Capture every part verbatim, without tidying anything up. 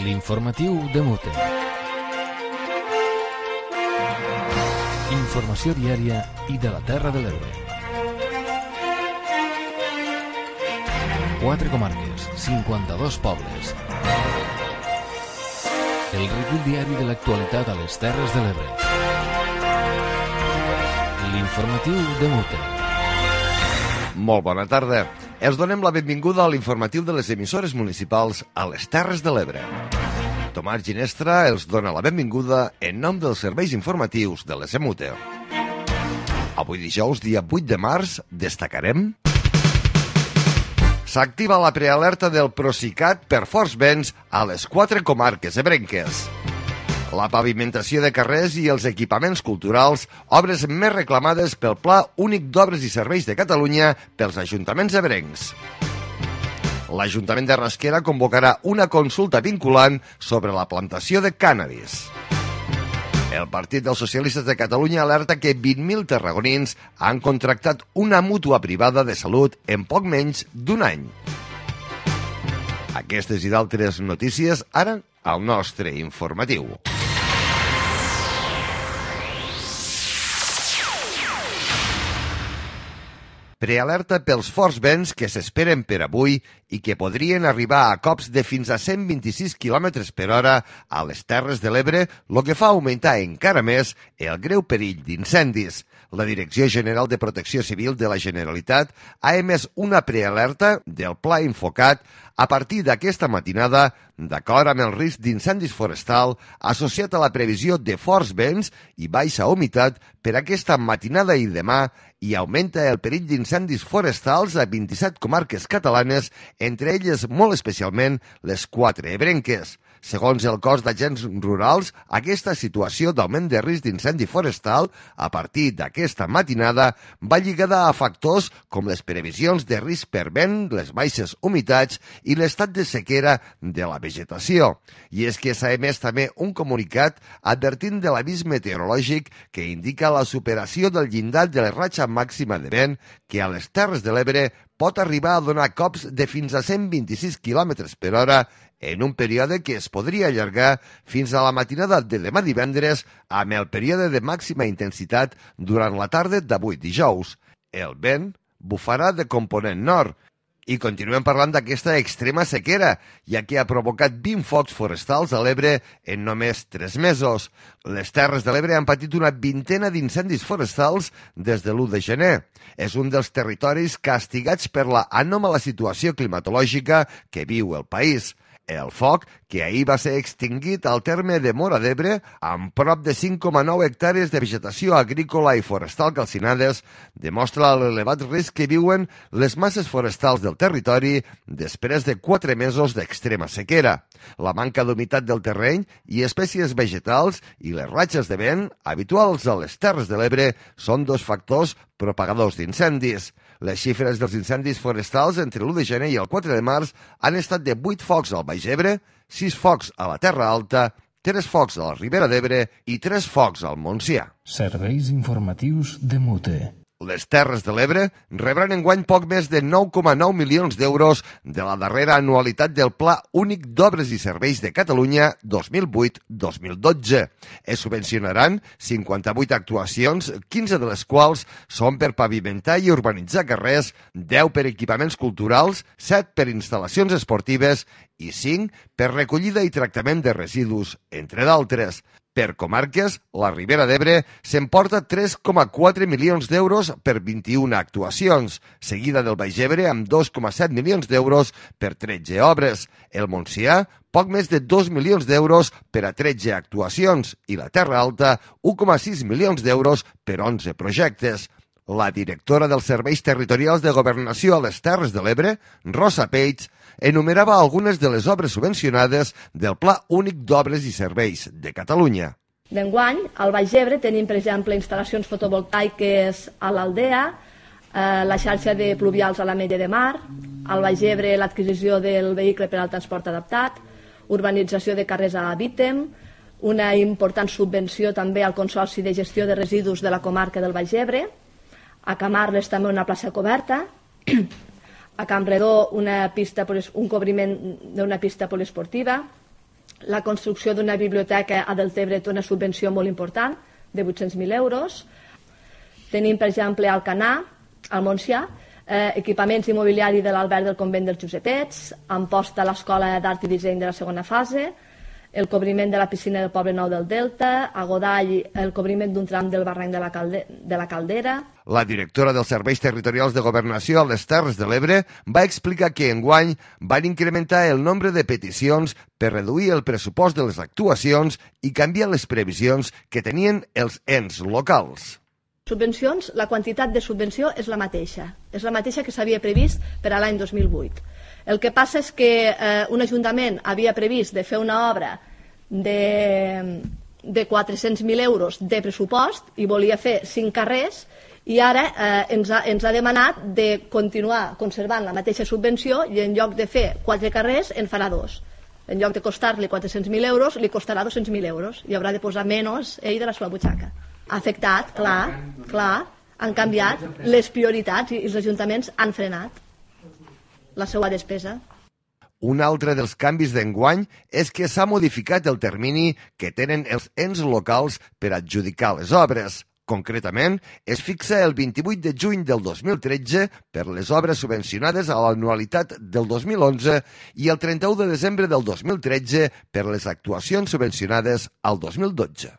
L'informatiu de Mute. Informació diària i de la Terra de l'Ebre. Quatre comarques, cinquanta-dos pobles. El recull diari de l'actualitat a les Terres de l'Ebre. L'informatiu de Mute. Molt bona tarda. Els donem la benvinguda a l'informatiu de les emissores municipals a les Terres de l'Ebre. Tomàs Ginestra els dona la benvinguda en nom dels serveis informatius de l'S M U T E. Avui dijous, dia vuit de març, destacarem... S'activa la prealerta del Procicat per forts vents a les quatre comarques ebrenques. La pavimentació de carrers i els equipaments culturals, obres més reclamades pel Pla Únic d'Obres i Serveis de Catalunya pels ajuntaments ebrencs. L'Ajuntament de Rasquera convocarà una consulta vinculant sobre la plantació de cànnabis. El Partit dels Socialistes de Catalunya alerta que vint mil tarragonins han contractat una mútua privada de salut en poc menys d'un any. Aquestes i d'altres notícies ara al nostre informatiu. Prealerta pels forts vents que s'esperen per avui i que podrien arribar a cops de fins a cent vint-i-sis quilòmetres per hora a les Terres de l'Ebre, el que fa augmentar encara més el greu perill d'incendis. La Direcció General de Protecció Civil de la Generalitat ha emès una prealerta del Pla Infocat a partir d'aquesta matinada, d'acord amb el risc d'incendis forestal associat a la previsió de forts vents i baixa humitat per aquesta matinada i demà, i augmenta el perill d'incendis forestals a vint-i-set comarques catalanes, entre elles molt especialment les quatre ebrenques. Segons el cos d'agents rurals, aquesta situació d'augment de risc d'incendi forestal a partir d'aquesta matinada va lligada a factors com les previsions de risc per vent, les baixes humitats i l'estat de sequera de la vegetació. I és que s'ha emès també un comunicat advertint de l'avís meteorològic que indica la superació del llindar de la ratxa màxima de vent que a les Terres de l'Ebre pot arribar a donar cops de fins a cent vint-i-sis quilòmetres per hora en un període que es podria allargar fins a la matinada de demà divendres amb el període de màxima intensitat durant la tarda d'avui dijous. El vent bufarà de component nord. I continuem parlant d'aquesta extrema sequera, ja que ha provocat vint focs forestals a l'Ebre en només tres mesos. Les Terres de l'Ebre han patit una vintena d'incendis forestals des de l'u de gener. És un dels territoris castigats per la anòmala situació climatològica que viu el país. El foc, que ahir va ser extingit al terme de Móra d'Ebre, amb prop de cinc coma nou hectàrees de vegetació agrícola i forestal calcinades, demostra l'elevat risc que viuen les masses forestals del territori després de quatre mesos d'extrema sequera. La manca d'humitat del terreny i espècies vegetals i les ratxes de vent, habituals a les Terres de l'Ebre, són dos factors propagadors d'incendis. Les xifres dels incendis forestals entre l'u de gener i el quatre de març han estat de vuit focs al Baix Ebre, sis focs a la Terra Alta, tres focs a la Ribera d'Ebre i tres focs al Montsià. Serveis informatius de Mute. Les Terres de l'Ebre rebran enguany poc més de nou coma nou milions d'euros de la darrera anualitat del Pla Únic d'Obres i Serveis de Catalunya dos mil vuit dos mil dotze. Es subvencionaran cinquanta-vuit actuacions, quinze de les quals són per pavimentar i urbanitzar carrers, deu per equipaments culturals, set per instal·lacions esportives i cinc per recollida i tractament de residus, entre d'altres. Per comarques, la Ribera d'Ebre s'emporta tres coma quatre milions d'euros per vint-i-una actuacions, seguida del Baix Ebre amb dos coma set milions d'euros per tretze obres, el Montsià poc més de dos milions d'euros per a tretze actuacions i la Terra Alta un coma sis milions d'euros per onze projectes. La directora dels Serveis Territorials de Governació a les Terres de l'Ebre, Rosa Peix, enumerava algunes de les obres subvencionades del Pla Únic d'Obres i Serveis de Catalunya. D'enguany, al Baix Ebre tenim, per exemple, instal·lacions fotovoltaiques a l'Aldea, eh, la xarxa de pluvials a l'Ametlla de Mar, al Baix Ebre l'adquisició del vehicle per al transport adaptat, urbanització de carrers a Vítem, una important subvenció també al Consorci de Gestió de Residus de la comarca del Baix Ebre, a Camarles també una plaça coberta, a Campredó una pista, un cobriment d'una pista poliesportiva, La construcció d'una biblioteca a Deltebre té una subvenció molt important, de vuit-cents mil euros. Tenim, per exemple, al Canà, al Montsià, eh, equipaments immobiliaris de l'Alberg del Convent dels Josepets, Amposta a l'Escola d'Art i Disseny de la segona fase, el cobriment de la piscina del Poble Nou del Delta, a Godall el cobriment d'un tram del barranc de la, Calde de la Caldera. La directora dels Serveis Territorials de Governació a les Terres de l'Ebre va explicar que enguany van incrementar el nombre de peticions per reduir el pressupost de les actuacions i canviar les previsions que tenien els ens locals. Subvencions, la quantitat de subvenció és la mateixa, és la mateixa que s'havia previst per a l'any dos mil vuit. El que passa és que eh, un ajuntament havia previst de fer una obra de, de quatre-cents mil euros de pressupost i volia fer cinc carrers i ara eh, ens, ha, ens ha demanat de continuar conservant la mateixa subvenció i en lloc de fer quatre carrers en farà dos. En lloc de costar-li quatre-cents mil euros, li costarà dos-cents mil euros i haurà de posar menys ell de la seva butxaca. Ha afectat, clar, clar, han canviat les prioritats i els ajuntaments han frenat la seva despesa. Un altre dels canvis d'enguany és que s'ha modificat el termini que tenen els ens locals per adjudicar les obres. Concretament, es fixa el vint-i-vuit de juny del dos mil tretze per les obres subvencionades a l'anualitat del dos mil onze i el trenta-u de desembre del dos mil tretze per les actuacions subvencionades al dos mil dotze.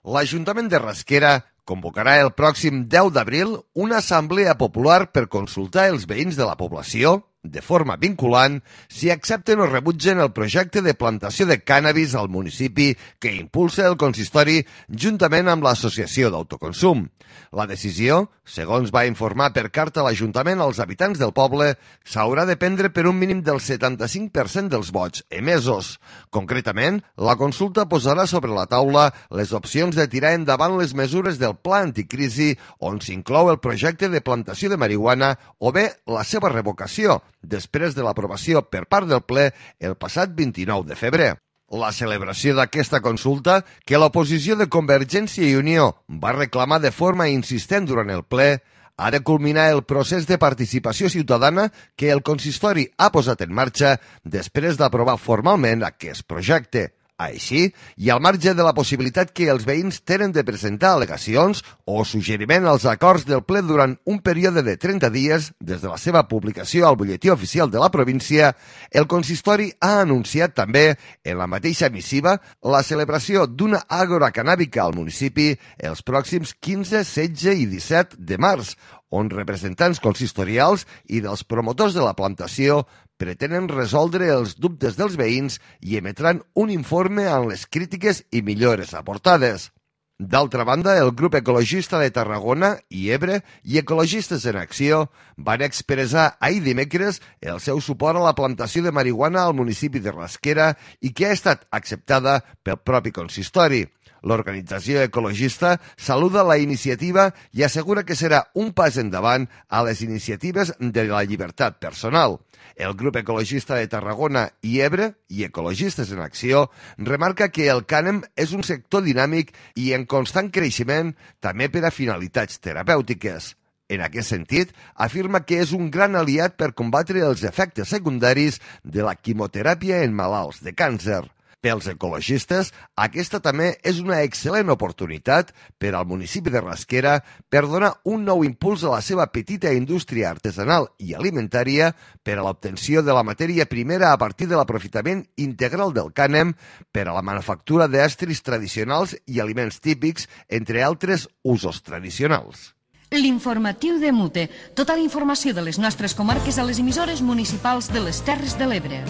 L'Ajuntament de Rasquera convocarà el pròxim deu d'abril una assemblea popular per consultar els veïns de la població, de forma vinculant, si accepten o rebutgen el projecte de plantació de cànnabis al municipi que impulsa el consistori juntament amb l'Associació d'Autoconsum. La decisió, segons va informar per carta l'Ajuntament als habitants del poble, s'haurà de prendre per un mínim del setanta-cinc per cent dels vots emesos. Concretament, la consulta posarà sobre la taula les opcions de tirar endavant les mesures del Pla Anticrisi on s'inclou el projecte de plantació de marihuana o bé la seva revocació, després de l'aprovació per part del ple el passat vint-i-nou de febrer. La celebració d'aquesta consulta, que l'oposició de Convergència i Unió va reclamar de forma insistent durant el ple, ha de culminar el procés de participació ciutadana que el consistori ha posat en marxa després d'aprovar formalment aquest projecte. Així, i al marge de la possibilitat que els veïns tenen de presentar al·legacions o suggeriment als acords del ple durant un període de trenta dies des de la seva publicació al butlletí oficial de la província, el consistori ha anunciat també, en la mateixa missiva, la celebració d'una àgora cannàbica al municipi els pròxims quinze, setze i disset de març, on representants consistorials i dels promotors de la plantació pretenen resoldre els dubtes dels veïns i emetran un informe amb les crítiques i millores aportades. D'altra banda, el grup ecologista de Tarragona i Ebre i Ecologistes en Acció van expressar ahir dimecres el seu suport a la plantació de marihuana al municipi de Rasquera i que ha estat acceptada pel propi consistori. L'organització ecologista saluda la iniciativa i assegura que serà un pas endavant a les iniciatives de la llibertat personal. El grup ecologista de Tarragona i Ebre i Ecologistes en Acció remarca que el cànem és un sector dinàmic i en constant creixement també per a finalitats terapèutiques. En aquest sentit, afirma que és un gran aliat per combatre els efectes secundaris de la quimioteràpia en malalts de càncer. Pels ecologistes, aquesta també és una excel·lent oportunitat per al municipi de Rasquera per donar un nou impuls a la seva petita indústria artesanal i alimentària per a l'obtenció de la matèria primera a partir de l'aprofitament integral del cànem per a la manufactura d'estris tradicionals i aliments típics, entre altres usos tradicionals. L'informatiu de Mute. Tota la informació de les nostres comarques a les emissores municipals de les Terres de l'Ebre.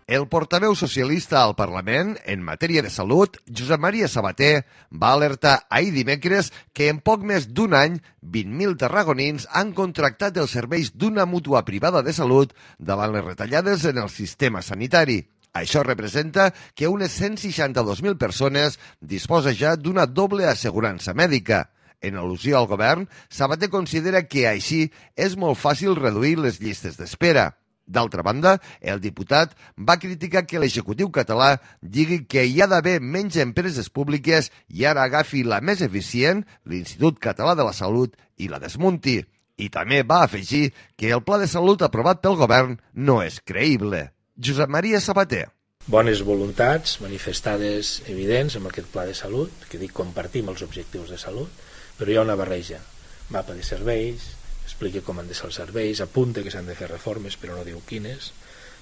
El portaveu socialista al Parlament, en matèria de salut, Josep Maria Sabater, va alertar ahir dimecres que en poc més d'un any, vint mil tarragonins han contractat els serveis d'una mútua privada de salut davant les retallades en el sistema sanitari. Això representa que unes cent seixanta-dos mil persones disposa ja d'una doble assegurança mèdica. En al·lusió al govern, Sabater considera que així és molt fàcil reduir les llistes d'espera. D'altra banda, el diputat va criticar que l'executiu català digui que hi ha d'haver menys empreses públiques i ara agafi la més eficient, l'Institut Català de la Salut, i la desmunti. I també va afegir que el pla de salut aprovat pel govern no és creïble. Josep Maria Sabater. Bones voluntats manifestades evidents amb aquest pla de salut, que dic compartim els objectius de salut, però hi ha una barreja. Mapa de serveis, explica com han de ser els serveis, apunta que s'han de fer reformes però no diu quines,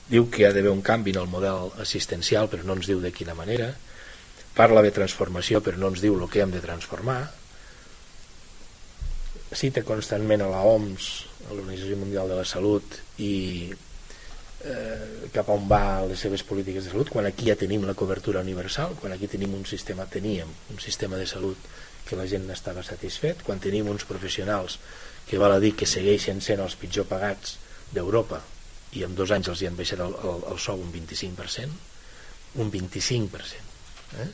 diu que hi ha d'haver un canvi en el model assistencial però no ens diu de quina manera, parla de transformació però no ens diu el que hem de transformar, cita constantment a l'O M S, a l'Organització Mundial de la Salut, i eh, cap on va les seves polítiques de salut, quan aquí ja tenim la cobertura universal, quan aquí tenim un sistema, teníem un sistema de salut que la gent n'estava satisfet, quan tenim uns professionals que val a dir que segueixen sent els pitjor pagats d'Europa i en dos anys els hi han baixat el, el, el sou un vint-i-cinc per cent, un vint-i-cinc per cent. Eh?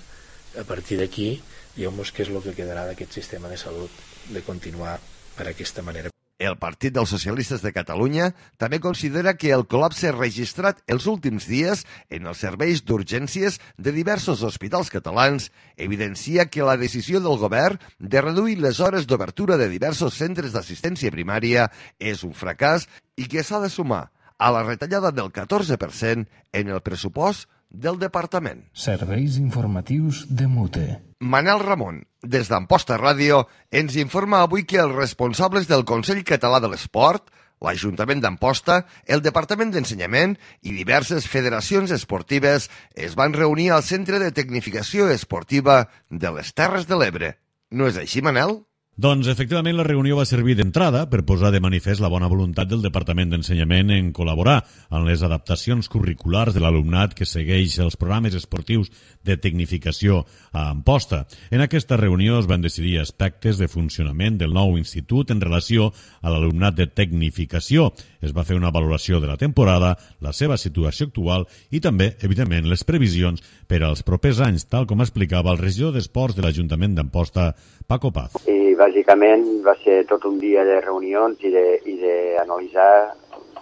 A partir d'aquí, diguem-nos què és el que quedarà d'aquest sistema de salut de continuar per aquesta manera. El Partit dels Socialistes de Catalunya també considera que el col·lapse registrat els últims dies en els serveis d'urgències de diversos hospitals catalans evidencia que la decisió del govern de reduir les hores d'obertura de diversos centres d'assistència primària és un fracàs i que s'ha de sumar a la retallada del catorze per cent en el pressupost del departament. Serveis informatius de Mute. Manel Ramon, des d'Amposta Ràdio, ens informa avui que els responsables del Consell Català de l'Esport, l'Ajuntament d'Amposta, el Departament d'Ensenyament i diverses federacions esportives es van reunir al Centre de Tecnificació Esportiva de les Terres de l'Ebre. No és així, Manel? Doncs, efectivament, la reunió va servir d'entrada per posar de manifest la bona voluntat del Departament d'Ensenyament en col·laborar en les adaptacions curriculars de l'alumnat que segueix els programes esportius de tecnificació a Amposta. En aquesta reunió es van decidir aspectes de funcionament del nou institut en relació a l'alumnat de tecnificació. Es va fer una valoració de la temporada, la seva situació actual i també, evidentment, les previsions per als propers anys, tal com explicava el regidor d'Esports de l'Ajuntament d'Amposta, Paco Paz. I bàsicament va ser tot un dia de reunions i d'analitzar,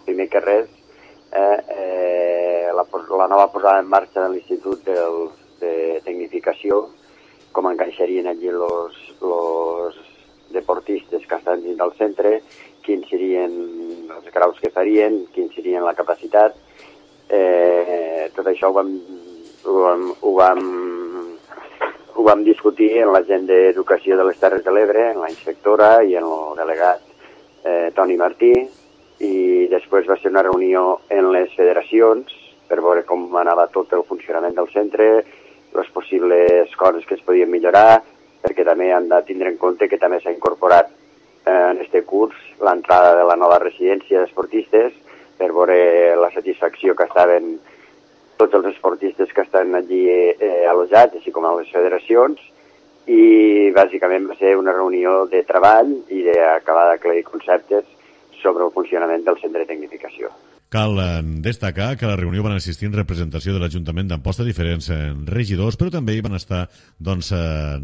primer que res, eh, eh, la, la nova posada en marxa de l'Institut de, de Tecnificació, com encaixarien allí els deportistes que estan dins del centre, quins serien els graus que farien, quins serien la capacitat. Eh, tot això ho vam, ho vam, ho vam ho vam discutir en la gent d'Educació de les Terres de l'Ebre, en la inspectora i en el delegat eh, Toni Martí, i després va ser una reunió en les federacions per veure com anava tot el funcionament del centre, les possibles coses que es podien millorar, perquè també han de tindre en compte que també s'ha incorporat eh, en aquest curs l'entrada de la nova residència d'esportistes per veure la satisfacció que estaven tots els esportistes que estan allí eh, allotjats, així com a les federacions, i bàsicament va ser una reunió de treball i d'acabar d'aclarir conceptes sobre el funcionament del centre de tecnificació. Cal destacar que a la reunió van assistir en representació de l'Ajuntament d'Amposta diferents regidors, però també hi van estar doncs,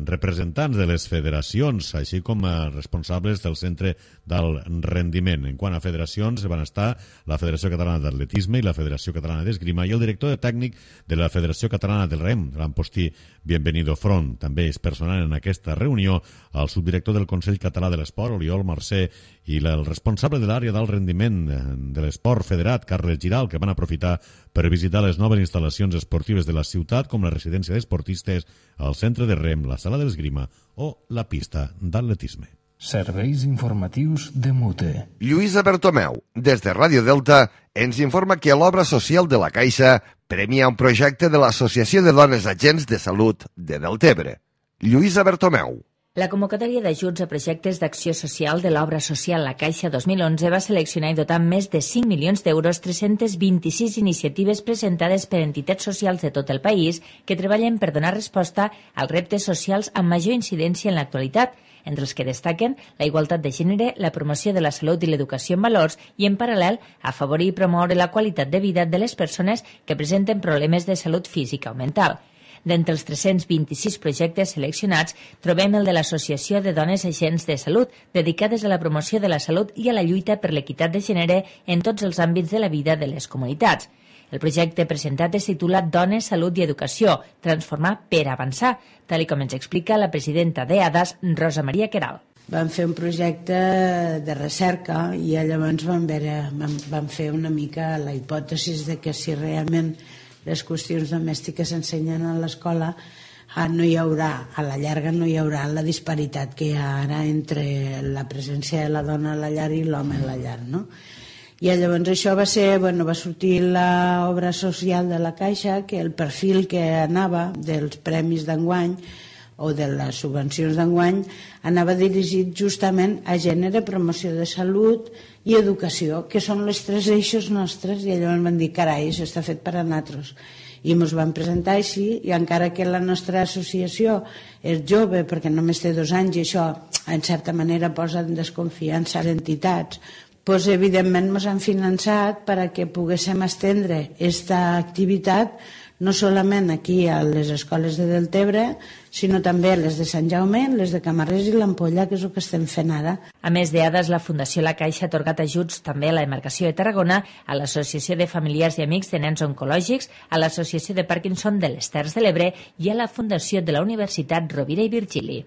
representants de les federacions, així com responsables del centre del rendiment. En quant a federacions, van estar la Federació Catalana d'Atletisme i la Federació Catalana d'Esgrima i el director tècnic de la Federació Catalana del Rem, l'Ampostí Bienvenido Front. També és personal en aquesta reunió el subdirector del Consell Català de l'Esport, Oriol Mercè, i el responsable de l'àrea del rendiment de l'esport federat, Carles Giral, que van aprofitar per visitar les noves instal·lacions esportives de la ciutat, com la residència d'esportistes, el centre de rem, la sala d'esgrima o la pista d'atletisme. Serveis informatius de Mute. Lluïsa Bertomeu, des de Ràdio Delta, ens informa que l'obra social de la Caixa premia un projecte de l'Associació de Dones Agents de Salut de Deltebre. Lluïsa Bertomeu. La convocatòria d'ajuts a projectes d'acció social de l'obra social La Caixa dos mil onze va seleccionar i dotar amb més de cinc milions d'euros tres-centes vint-i-sis iniciatives presentades per entitats socials de tot el país que treballen per donar resposta als reptes socials amb major incidència en l'actualitat, entre els que destaquen la igualtat de gènere, la promoció de la salut i l'educació en valors i, en paral·lel, afavorir i promoure la qualitat de vida de les persones que presenten problemes de salut física o mental. D'entre els tres-cents vint-i-sis projectes seleccionats, trobem el de l'Associació de Dones Agents de Salut, dedicades a la promoció de la salut i a la lluita per l'equitat de gènere en tots els àmbits de la vida de les comunitats. El projecte presentat es titula Dones, Salut i Educació, transformar per avançar, tal com ens explica la presidenta d'E A D A S, Rosa Maria Queralt. vam fer un projecte de recerca i llavors vam, veure, vam, vam fer una mica la hipòtesi de que si realment les qüestions domèstiques s'ensenyen a l'escola, no hi haurà, a la llarga no hi haurà la disparitat que hi ha ara entre la presència de la dona a la llar i l'home a la llar, no? I llavors això va ser, bueno, va sortir l'obra social de la Caixa, que el perfil que anava dels premis d'enguany o de les subvencions d'enguany anava dirigit justament a gènere, promoció de salut i educació, que són les tres eixos nostres, i llavors van dir, carai, això està fet per a nosaltres. I ens vam presentar així, i encara que la nostra associació és jove, perquè només té dos anys, i això en certa manera posa en desconfiança a les entitats, doncs evidentment ens han finançat perquè poguéssim estendre aquesta activitat no solament aquí a les escoles de Deltebre, sinó també a les de Sant Jaume, les de Camarles i l'Ampolla, que és el que estem fent ara. A més de dades, la Fundació La Caixa ha atorgat ajuts també a la demarcació de Tarragona, a l'Associació de Familiars i Amics de Nens Oncològics, a l'Associació de Parkinson de les Terres de l'Ebre i a la Fundació de la Universitat Rovira i Virgili.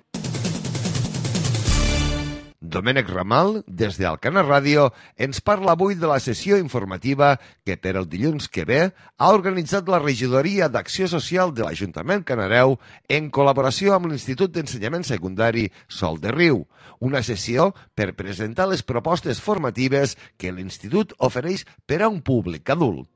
Domènec Ramal, des d'Alcana Ràdio, ens parla avui de la sessió informativa que per el dilluns que ve ha organitzat la Regidoria d'Acció Social de l'Ajuntament Canareu en col·laboració amb l'Institut d'Ensenyament Secundari Sol de Riu, una sessió per presentar les propostes formatives que l'Institut ofereix per a un públic adult.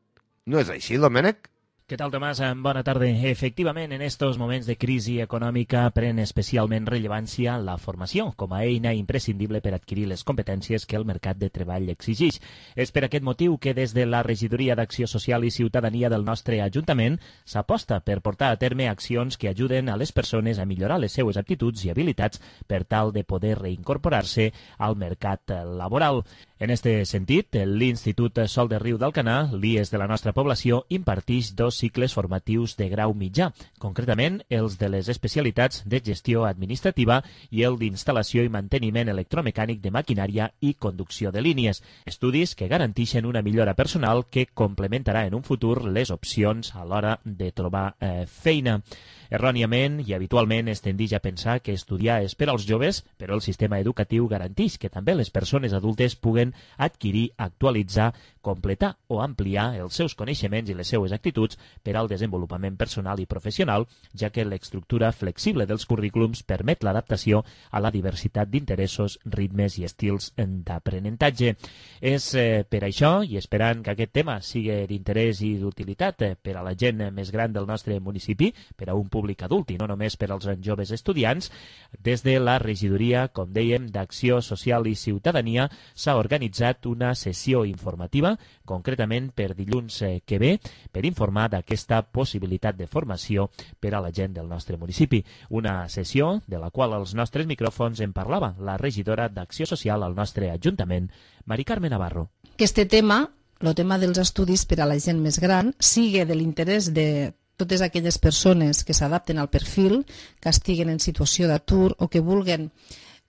No és així, Domènec? ¿Qué tal, Tomás? Bona tarda. Efectivament, en estos moments de crisi econòmica pren especialment rellevància la formació com a eina imprescindible per adquirir les competències que el mercat de treball exigeix. És per aquest motiu que des de la Regidoria d'Acció Social i Ciutadania del nostre Ajuntament s'aposta per portar a terme accions que ajuden a les persones a millorar les seues aptituds i habilitats per tal de poder reincorporar-se al mercat laboral. En este sentit, l'Institut Sol de Riu d'Alcanar, l'I E S de la nostra població, imparteix dos cicles formatius de grau mitjà, concretament els de les especialitats de gestió administrativa i el d'instal·lació i manteniment electromecànic de maquinària i conducció de línies, estudis que garanteixen una millora personal que complementarà en un futur les opcions a l'hora de trobar eh, feina. Erròniament i habitualment es tendeix a pensar que estudiar és per als joves, però el sistema educatiu garanteix que també les persones adultes puguen adquirir, actualitzar, completar o ampliar els seus coneixements i les seues actituds per al desenvolupament personal i professional, ja que l'estructura flexible dels currículums permet l'adaptació a la diversitat d'interessos, ritmes i estils d'aprenentatge. És eh, per això, i esperant que aquest tema sigui d'interès i d'utilitat eh, per a la gent més gran del nostre municipi, per a un públic adult i no només per als joves estudiants, des de la Regidoria, com dèiem, d'Acció Social i Ciutadania s'ha organitzat una sessió informativa, concretament per dilluns que ve, per informar d'aquesta possibilitat de formació per a la gent del nostre municipi. Una sessió de la qual als nostres micròfons en parlava la regidora d'Acció Social al nostre Ajuntament, Mari Carme Navarro. Aquest tema, el tema dels estudis per a la gent més gran, sigue de l'interès de totes aquelles persones que s'adapten al perfil, que estiguen en situació d'atur o que vulguen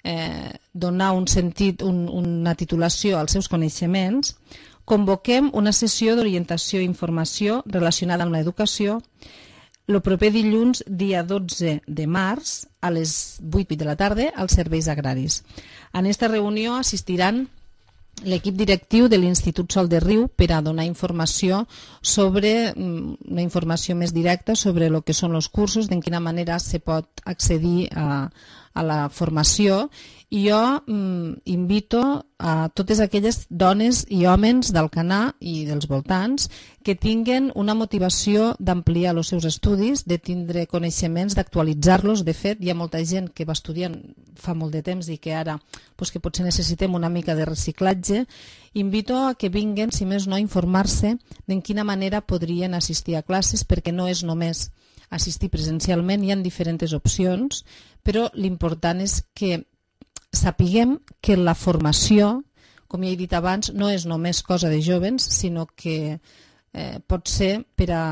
eh, donar un sentit, un, una titulació als seus coneixements, convoquem una sessió d'orientació i informació relacionada amb l'educació el proper dilluns, dia dotze de març, a les vuit de la tarda, als serveis agraris. En aquesta reunió assistiran l'equip directiu de l'Institut Sol de Riu per a donar informació sobre, una informació més directa sobre el que són els cursos, de quina manera se pot accedir a, a la formació. I jo mm, invito a totes aquelles dones i homes d'Alcanar i dels voltants que tinguen una motivació d'ampliar els seus estudis, de tindre coneixements, d'actualitzar-los. De fet, hi ha molta gent que va estudiant fa molt de temps i que ara pues, que potser necessitem una mica de reciclatge. Invito a que vinguen, si més no, a informar-se de quina manera podrien assistir a classes, perquè no és només assistir presencialment, hi ha diferents opcions, però l'important és que sapiguem que la formació, com ja he dit abans, no és només cosa de jovens, sinó que eh, pot ser per a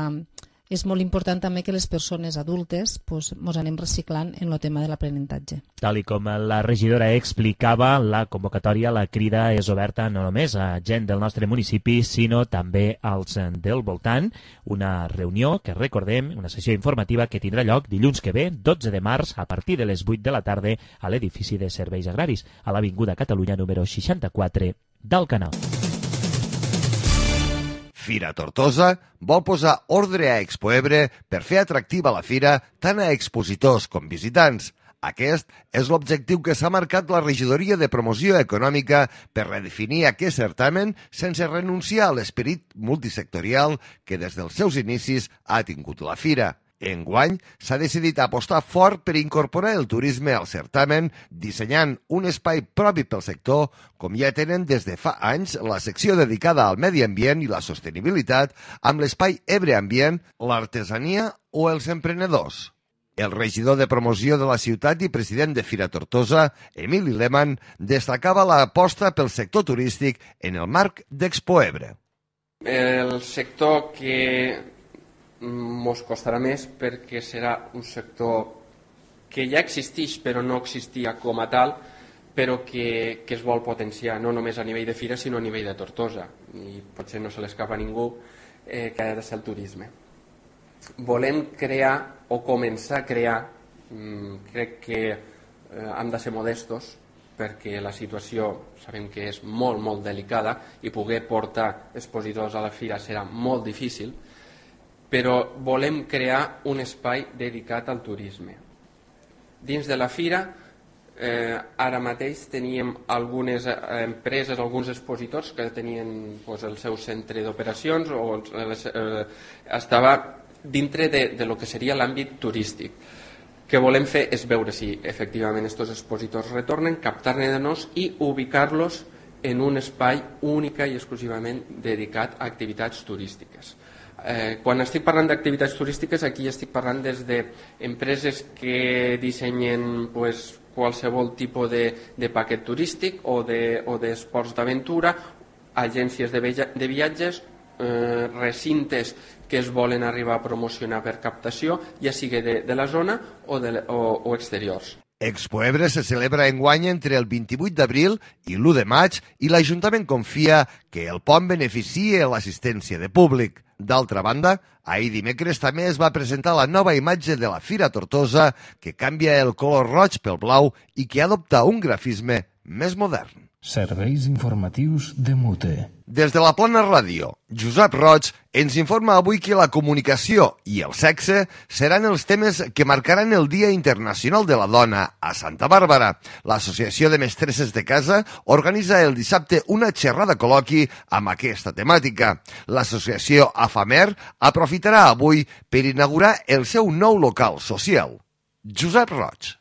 és molt important també que les persones adultes pues, mos anem reciclant en el tema de l'aprenentatge. Tal i com la regidora explicava, la convocatòria, la crida és oberta no només a gent del nostre municipi, sinó també als del voltant. Una reunió que recordem, una sessió informativa que tindrà lloc dilluns que ve, dotze de març, a partir de les vuit de la tarda, a l'edifici de Serveis Agraris, a l'Avinguda Catalunya número seixanta-quatre d'Alcanar. Fira Tortosa vol posar ordre a Expoebre per fer atractiva la fira tant a expositors com visitants. Aquest és l'objectiu que s'ha marcat la Regidoria de Promoció Econòmica per redefinir aquest certamen sense renunciar a l'esperit multisectorial que des dels seus inicis ha tingut la fira. Enguany s'ha decidit apostar fort per incorporar el turisme al certamen, dissenyant un espai propi pel sector, com ja tenen des de fa anys la secció dedicada al medi ambient i la sostenibilitat, amb l'espai Ebre Ambient, l'artesania o els emprenedors. El regidor de promoció de la ciutat i president de Fira Tortosa, Emili Lehmann, destacava l'aposta pel sector turístic en el marc d'Expoebre. El sector que mos costarà més perquè serà un sector que ja existeix però no existia com a tal, però que, que es vol potenciar no només a nivell de fira sinó a nivell de Tortosa, i potser no se l'escapa a ningú eh, que ha de ser el turisme. Volem crear o començar a crear, mmm, crec que eh, hem de ser modestos perquè la situació sabem que és molt molt delicada i poder portar expositors a la fira serà molt difícil, però volem crear un espai dedicat al turisme. Dins de la fira, eh, ara mateix teníem algunes eh, empreses, alguns expositors que tenien pues, el seu centre d'operacions o eh, estava dintre de, de lo que seria l'àmbit turístic. El que volem fer és veure si efectivament aquests expositors retornen, captar-ne-nos i ubicar-los en un espai única i exclusivament dedicat a activitats turístiques. Eh, quan estic parlant d'activitats turístiques, aquí estic parlant des d'empreses que dissenyen pues, qualsevol tipus de, de paquet turístic o d'esports de, d'aventura, agències de, de viatges, eh, recintes que es volen arribar a promocionar per captació, ja sigui de, de la zona o, de, o, o exteriors. Expoebre se celebra enguany entre el vint-i-vuit d'abril i l'u de maig i l'Ajuntament confia que el pont beneficia l'assistència de públic. D'altra banda, ahir dimecres també es va presentar la nova imatge de la Fira Tortosa que canvia el color roig pel blau i que adopta un grafisme més modern. Serveis informatius de Mute. Des de la Plana Ràdio, Josep Roig ens informa avui que la comunicació i el sexe seran els temes que marcaran el Dia Internacional de la Dona a Santa Bàrbara. L'Associació de Mestresses de Casa organitza el dissabte una xerrada col·loqui amb aquesta temàtica. L'associació AFAMER aprofitarà avui per inaugurar el seu nou local social. Josep Roig.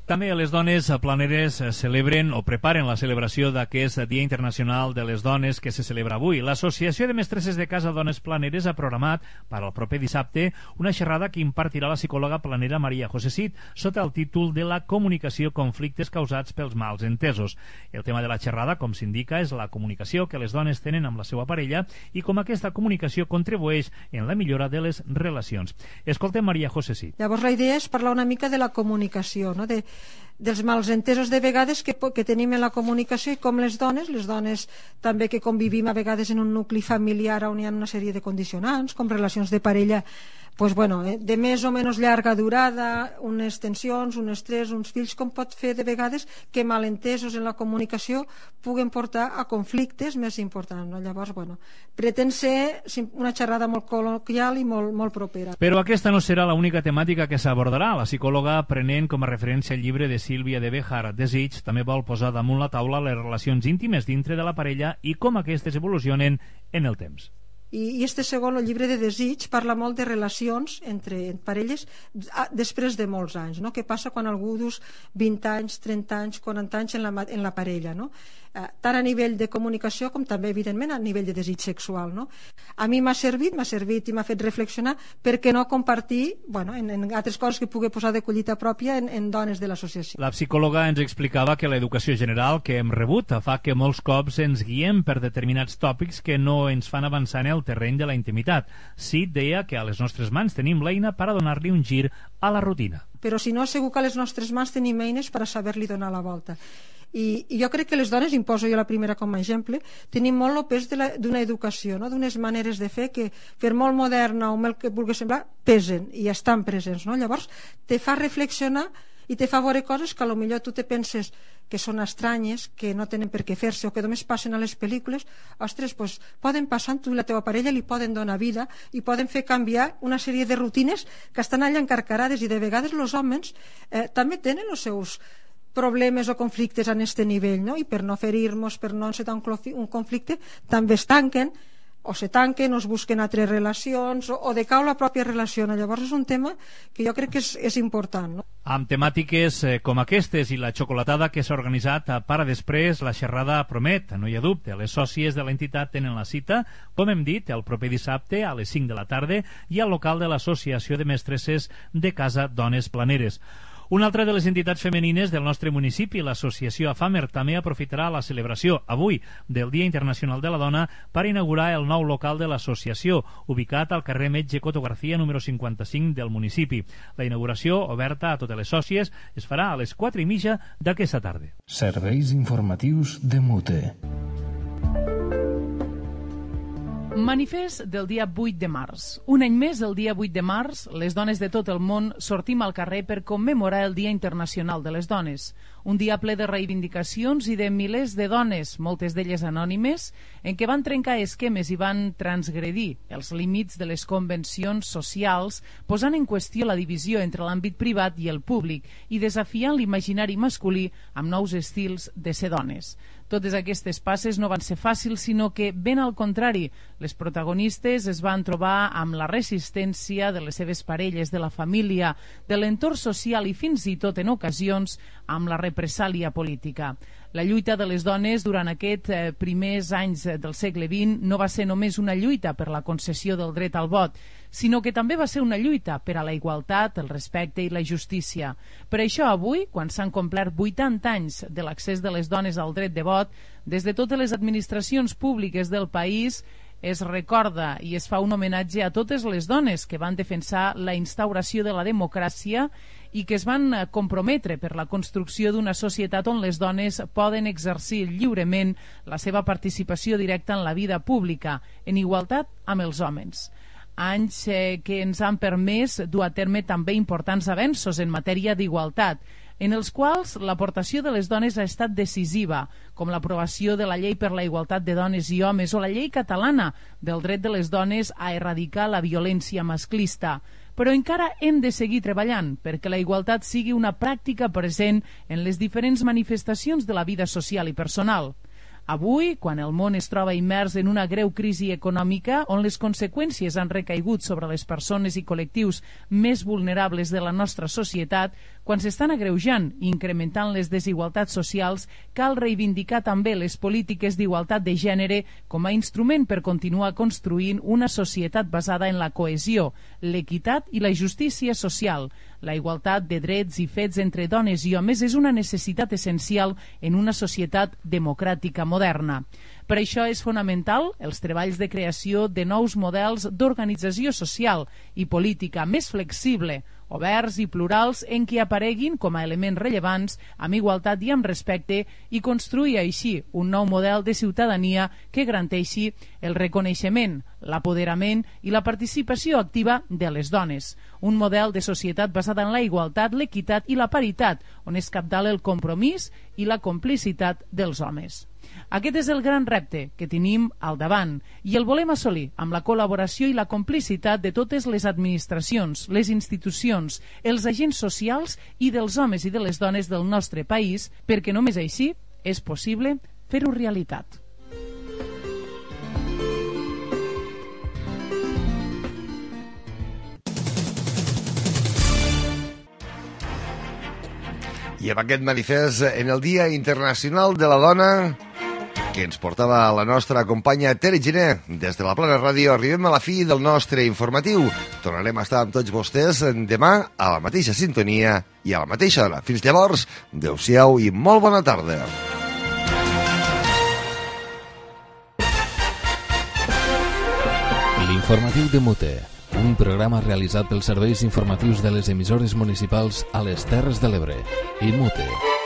També les dones planeres celebren o preparen la celebració d'aquest Dia Internacional de les Dones que se celebra avui. L'Associació de Mestresses de Casa Dones Planeres ha programat per al proper dissabte una xerrada que impartirà la psicòloga planera Maria José Cid sota el títol de la comunicació, conflictes causats pels mals entesos. El tema de la xerrada, com s'indica, és la comunicació que les dones tenen amb la seva parella i com aquesta comunicació contribueix en la millora de les relacions. Escoltem Maria José Cid. Llavors la idea és parlar una mica de la comunicació, no? de dels malentesos de vegades que, que tenim en la comunicació i com les dones, les dones també que convivim a vegades en un nucli familiar on hi ha una sèrie de condicionants, com relacions de parella pues bueno, de més o menys llarga durada, unes tensions, un estrès, uns fills, com pot fer de vegades que malentesos en la comunicació puguen portar a conflictes més importants. No? Llavors, bueno, pretén ser una xerrada molt col·loquial i molt, molt propera. Però aquesta no serà l'única temàtica que s'abordarà. La psicòloga, prenent com a referència el llibre de Sílvia de Béjar, Desig, també vol posar damunt la taula les relacions íntimes dintre de la parella i com aquestes evolucionen en el temps. I este segon, el llibre de Desig, parla molt de relacions entre parelles després de molts anys, no? Què passa quan algú dus vint anys, trenta anys, quaranta anys en la, en la parella, no? eh, tant a nivell de comunicació com també, evidentment, a nivell de desig sexual. No? A mi m'ha servit, m'ha servit i m'ha fet reflexionar per què no compartir bueno, en, en altres coses que pugui posar de collita pròpia en, en dones de l'associació. La psicòloga ens explicava que l'educació general que hem rebut fa que molts cops ens guiem per determinats tòpics que no ens fan avançar en el terreny de la intimitat. Sí, deia que a les nostres mans tenim l'eina per a donar-li un gir a la rutina. Però si no, segur que a les nostres mans tenim eines per a saber-li donar la volta. I, i jo crec que les dones, imposo jo la primera com a exemple, tenim molt el pes d'una educació, no? D'unes maneres de fer que, per molt moderna o molt que vulgui semblar, pesen i estan presents. No? Llavors, te fa reflexionar i te fa veure coses que potser tu te penses que són estranyes, que no tenen per què fer-se o que només passen a les pel·lícules. Ostres, doncs poden passar, tu i la teva parella li poden donar vida i poden fer canviar una sèrie de rutines que estan allà encarcarades, i de vegades els homes eh, també tenen els seus problemes o conflictes a aquest nivell, no? I per no ferir-nos, per no encetar un conflicte, també es tanquen o se tanquen o es busquen altres relacions o, o decau la pròpia relació. Llavors és un tema que jo crec que és, és important. No? Amb temàtiques eh, com aquestes i la xocolatada que s'ha organitzat a Para Després, la xerrada promet, no hi ha dubte. Les sòcies de l'entitat tenen la cita, com hem dit, el proper dissabte a les cinc de la tarda i al local de l'Associació de Mestresses de Casa Dones Planeres. Una altra de les entitats femenines del nostre municipi, l'associació AFAMER, també aprofitarà la celebració avui del Dia Internacional de la Dona per inaugurar el nou local de l'associació, ubicat al carrer Metge Coto García, número cinquanta-cinc del municipi. La inauguració, oberta a totes les sòcies, es farà a les quatre i mitja d'aquesta tarda. Serveis informatius de Mute. Manifest del dia vuit de març. Un any més, el dia vuit de març, les dones de tot el món sortim al carrer per commemorar el Dia Internacional de les Dones. Un dia ple de reivindicacions i de milers de dones, moltes d'elles anònimes, en què van trencar esquemes i van transgredir els límits de les convencions socials, posant en qüestió la divisió entre l'àmbit privat i el públic i desafiant l'imaginari masculí amb nous estils de ser dones. Totes aquestes passes no van ser fàcils, sinó que, ben al contrari, les protagonistes es van trobar amb la resistència de les seves parelles, de la família, de l'entorn social i fins i tot, en ocasions, amb la represàlia política. La lluita de les dones durant aquests eh, primers anys del segle vint no va ser només una lluita per la concessió del dret al vot, sinó que també va ser una lluita per a la igualtat, el respecte i la justícia. Per això avui, quan s'han complert vuitanta anys de l'accés de les dones al dret de vot, des de totes les administracions públiques del país es recorda i es fa un homenatge a totes les dones que van defensar la instauració de la democràcia i que es van comprometre per la construcció d'una societat on les dones poden exercir lliurement la seva participació directa en la vida pública, en igualtat amb els homes. Anys eh, que ens han permès dur a terme també importants avenços en matèria d'igualtat, en els quals l'aportació de les dones ha estat decisiva, com l'aprovació de la Llei per la Igualtat de Dones i Homes o la Llei Catalana del dret de les dones a erradicar la violència masclista. Però encara hem de seguir treballant perquè la igualtat sigui una pràctica present en les diferents manifestacions de la vida social i personal. Avui, quan el món es troba immers en una greu crisi econòmica on les conseqüències han recaigut sobre les persones i col·lectius més vulnerables de la nostra societat, quan s'estan agreujant i incrementant les desigualtats socials, cal reivindicar també les polítiques d'igualtat de gènere com a instrument per continuar construint una societat basada en la cohesió, l'equitat i la justícia social. La igualtat de drets i fets entre dones i homes és una necessitat essencial en una societat democràtica moderna. Per això és fonamental els treballs de creació de nous models d'organització social i política més flexible, oberts i plurals en què apareguin com a elements rellevants, amb igualtat i amb respecte, i construir així un nou model de ciutadania que garanteixi el reconeixement, l'apoderament i la participació activa de les dones. Un model de societat basada en la igualtat, l'equitat i la paritat, on es cabdala el compromís i la complicitat dels homes. Aquest és el gran repte que tenim al davant i el volem assolir amb la col·laboració i la complicitat de totes les administracions, les institucions, els agents socials i dels homes i de les dones del nostre país, perquè només així és possible fer-ho realitat. I amb aquest manifest, en el Dia Internacional de la Dona, que ens portava la nostra companya Tere Giner. Des de la Plana Ràdio arribem a la fi del nostre informatiu. Tornarem a estar amb tots vostès demà a la mateixa sintonia i a la mateixa hora. Fins llavors, adeu-siau i molt bona tarda. L'informatiu de Mute, un programa realitzat pels serveis informatius de les emissores municipals a les Terres de l'Ebre i Mute.